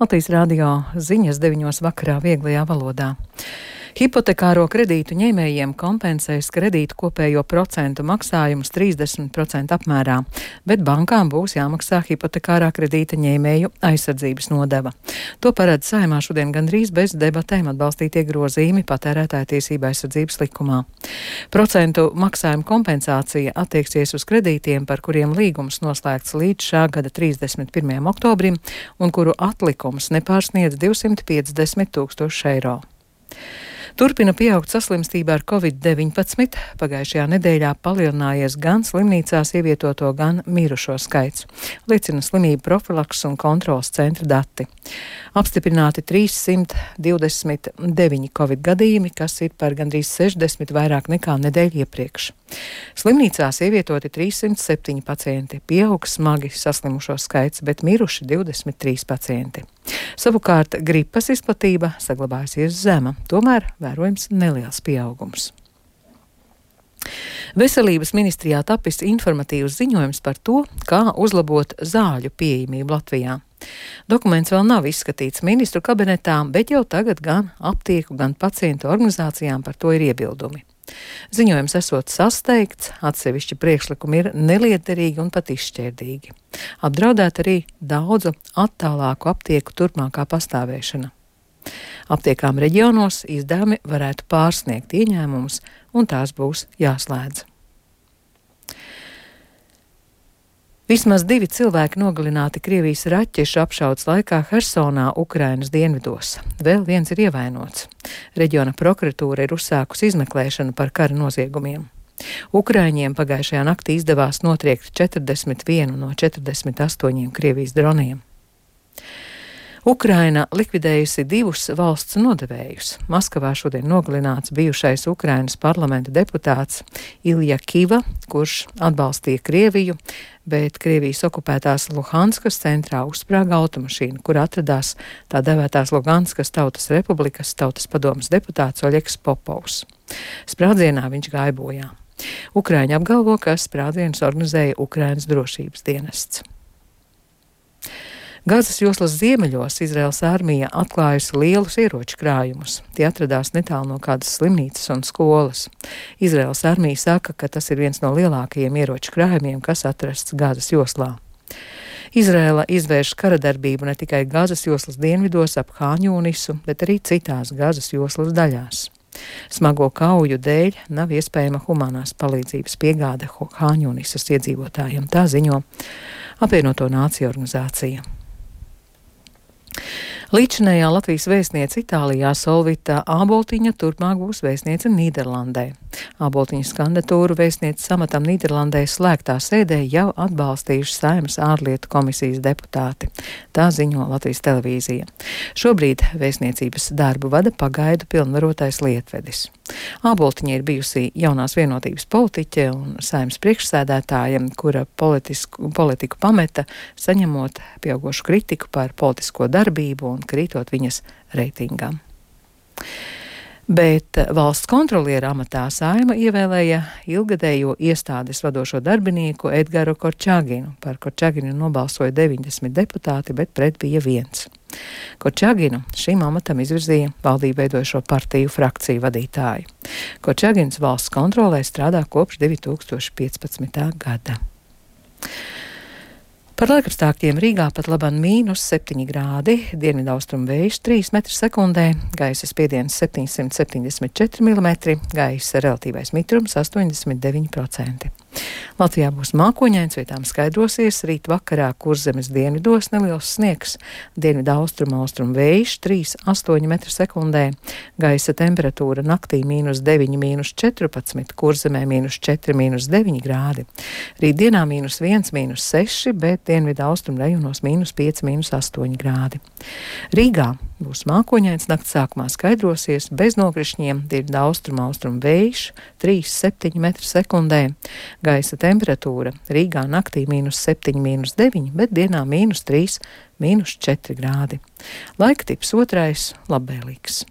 Latvijas radio ziņas 9 vakarā vieglajā valodā. Hipotekāro kredītu ņēmējiem kompensēs kredītu kopējo procentu maksājumus 30% apmērā, bet bankām būs jāmaksā hipotekārā kredīta ņēmēju aizsardzības nodeva. To paredz Saeimā šodien gandrīz bez debatēm atbalstītie grozījumi Patērētāju tiesību aizsardzības likumā. Procentu maksājuma kompensācija attieksies uz kredītiem, par kuriem līgums noslēgts līdz šā gada 31. oktobrim un kuru atlikums nepārsniedz 250 000 eiro. Turpina pieaugt saslimstība ar Covid-19. Pagājušajā nedēļā palielinājies gan slimnīcās ievietoto, gan mirušo skaits, liecina slimību profilakses un kontrolas centra dati. Apstiprināti 329 Covid gadījumi, kas ir par gandrīz 60 vairāk nekā nedēļu iepriekš. Slimnīcās ievietoti 307 pacienti, pieaugs smagi saslimušo skaits, bet miruši 23 pacienti. Savukārt gripas izplatība saglabājusies zema, tomēr vērojams neliels pieaugums. Veselības ministrijā tapis informatīvs ziņojums par to, kā uzlabot zāļu pieejamību Latvijā. Dokuments vēl nav izskatīts ministru kabinetā, bet jau tagad gan aptieku, gan pacientu organizācijām par to ir iebildumi. Ziņojums esot sasteigts, atsevišķi priekšlikumi ir nelietderīgi un pat izšķērdīgi. Apdraudēt arī daudzu attālāku aptieku turpmākā pastāvēšana. Aptiekām reģionos izdevumi varētu pārsniegt ieņēmumus, un tās būs jāslēdz. Vismaz 2 cilvēki nogalināti Krievijas raķešu apšaudes laikā Hersonā, Ukrainas dienvidos. Vēl viens ir ievainots. Reģiona prokuratūra ir uzsākusi izmeklēšanu par kara noziegumiem. Ukraiņiem pagājušajā naktī izdevās notriekt 41 no 48 Krievijas droniem. Ukraina likvidējusi 2 valsts nodevējus. Maskavā šodien nogalināts bijušais Ukrainas parlamenta deputāts Ilja Kiva, kurš atbalstīja Krieviju, bet Krievijas okupētās Luhanskas centrā uzsprāga automašīna, kur atradās tā devētās Luhanskas Tautas Republikas Tautas padomes deputāts Oļegs Popovs. Sprādzienā viņš gāja bojā. Ukraiņi apgalvo, ka sprādzienus organizēja Ukrainas drošības dienests. Gazas joslas ziemeļos Izraēlas armija atklājusi lielus ieroču krājumus. Tie atradās netālu no kādas slimnīcas un skolas. Izraēlas armija saka, ka tas ir viens no lielākajiem ieroču krājumiem, kas atrasts Gazas joslā. Izraēla izvērš karadarbību ne tikai Gazas joslas dienvidos ap Hāņūnisu, bet arī citās Gazas joslas daļās. Smago kauju dēļ nav iespējama humanās palīdzības piegāde Hāņūnisas iedzīvotājiem, tā ziņo Apvienoto Nāciju organizācija. Līdzinējā Latvijas vēstniece Itālijā Solvita Āboltiņa turpmāk būs vēstniece Nīderlandē. Āboltiņas kandidatūru vēstnieces amatam Nīderlandē slēgtā sēdē jau atbalstījuši Saeimas ārlietu komisijas deputāti. Tā ziņo Latvijas televīzija. Šobrīd vēstniecības darbu vada pagaidu pilnvarotais lietvedis. Āboltiņa ir bijusi jaunās vienotības politiķe un Saeimas priekšsēdētāja, kura politiku pameta, saņemot pieaugošu kritiku par politisko darbību un krītot viņas reitingam. Bet valsts kontroliera amatā Saeima ievēlēja ilgadējo iestādes vadošo darbinieku Edgaru Korčaginu. Par Korčaginu nobalsoja 90 deputāti, bet pret bija 1. Korčaginu šim amatam izvirzīja valdību veidojošo partiju frakciju vadītāju. Korčagins valsts kontrolē strādā kopš 2015. gada. Par laikapstākļiem Rīgā pat labam -7 grādi, dienvidaustrumu vējš 3 m/sekundē, gaisa spiediens 774 mm, gaisa relatīvais mitrums 89%. Latvijā būs mākoņains, vietām skaidrosies, rīt vakarā Kurzemes dienvidos neliels sniegs, dienvidaustrumu vējš 3,8 m/sekundē, gaisa temperatūra naktī -9, -14, Kurzemē -4, -9 grādi. Rītdienā -1, -6, bet dienvidaustrumu rajonos -5, -8 grādi. Rīgā būs mākoņains, nakts sākumā skaidrosies, bez nokrišņiem, dienvidaustrumu vējš 3,7 m/sekundē, gaisa temperatūra Rīgā naktī -7, -9, bet dienā -3, -4 grādi. Laika tips otrais - labvēlīgs.